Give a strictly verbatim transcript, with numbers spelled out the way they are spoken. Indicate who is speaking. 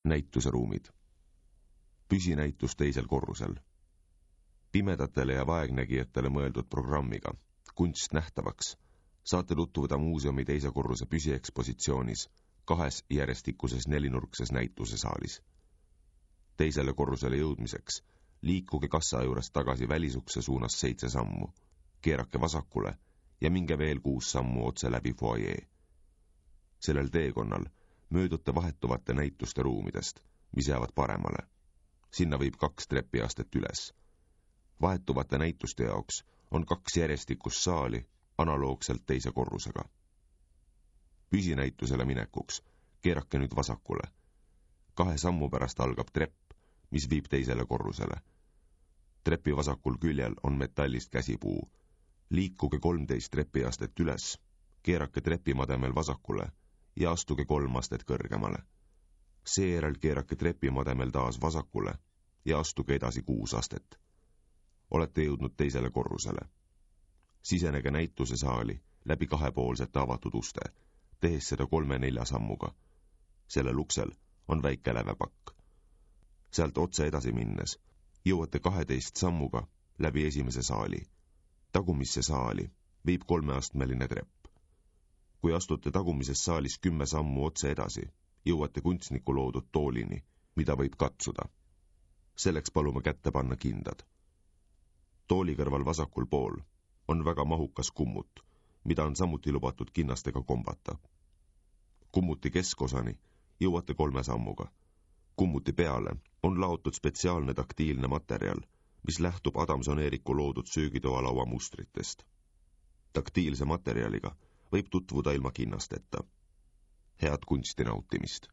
Speaker 1: näituseruumid. Püsinäitus teisel korrusel. Pimedatele ja vaegnägijatele mõeldud programmiga Kunst nähtavaks saate tutvuda muuseumi teise korruse püsiekspositsioonis kahes järjestikuses nelinurkses näitusesaalis. Teisele korrusele jõudmiseks liikuge kassa juurest tagasi välisukse suunas seitse sammu, keerake vasakule ja minge veel kuus sammu otse läbi foajee. Sellel teekonnal möödute vahetuvate näituste ruumidest, mis jäävad paremale. Sinna viib kaks trepiastet üles. Vahetuvate näituste jaoks on kaks järjestikust saali analoogselt teise korrusega. Püsinäitusele minekuks keerake nüüd vasakule. Kahe sammu pärast algab trepp, mis viib teisele korrusele. Trepi vasakul küljel on metallist käsipuu. Liikuge kolmteist trepiastet üles, keerake trepimademel vasakule ja astuge kolm astet kõrgemale. Seejärel keerake trepimademel taas vasakule ja astuge edasi kuus astet. Olete jõudnud teisele korrusele. Sisenege näituse saali läbi kahepoolsete avatud uste, tehes seda kolme-nelja sammuga. Sellel uksel on väike lävepakk. Sealt otse edasi minnes jõuate kaheteist sammuga läbi esimese saali. Tagumisse saali viib kolmeastmeline trepp. Kui astute tagumises saalis kümme sammu otse edasi, jõuate kunstniku loodud toolini, mida võib katsuda. Selleks palume kätte panna kindad. Tooli kõrval vasakul pool on väga mahukas kummut, mida on samuti lubatud kinnastega kombata. Kummuti keskosani jõuate kolme sammuga. Kummuti peale on laotud spetsiaalne taktiilne materjal, mis lähtub Adamson-Eeriku loodud söögitoalaua mustritest. Taktiilse materjaliga võib tutvuda ilma kinnasteta. Head kunsti nautimist!